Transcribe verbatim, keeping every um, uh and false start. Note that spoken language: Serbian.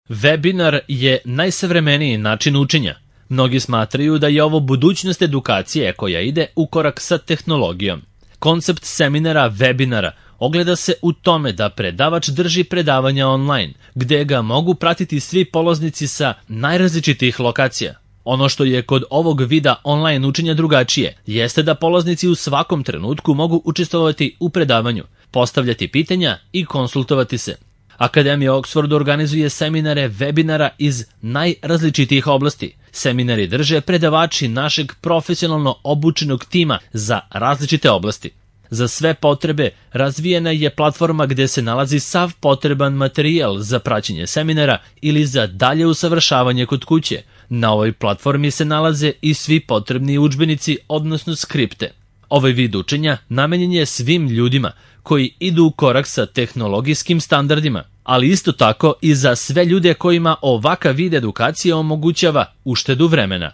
Webinar je najsavremeniji način učenja. Mnogi smatraju da je ovo budućnost edukacije koja ide u korak sa tehnologijom. Koncept seminara webinara ogleda se u tome da predavač drži predavanja online, gde ga mogu pratiti svi polaznici sa najrazličitijih lokacija. Ono što je kod ovog vida online učenja drugačije, jeste da polaznici u svakom trenutku mogu učestvovati u predavanju, postavljati pitanja i konsultovati se. Akademija Oxford organizuje seminare webinara iz najrazličitijih oblasti. Seminari drže predavači našeg profesionalno obučenog tima za različite oblasti. Za sve potrebe razvijena je platforma gde se nalazi sav potreban materijal za praćenje seminara ili za dalje usavršavanje kod kuće. Na ovoj platformi se nalaze i svi potrebni udžbenici, odnosno skripte. Ovaj vid učenja namenjen je svim ljudima koji idu u korak sa tehnologijskim standardima, ali isto tako i za sve ljude kojima ovakav vid edukacije omogućava uštedu vremena.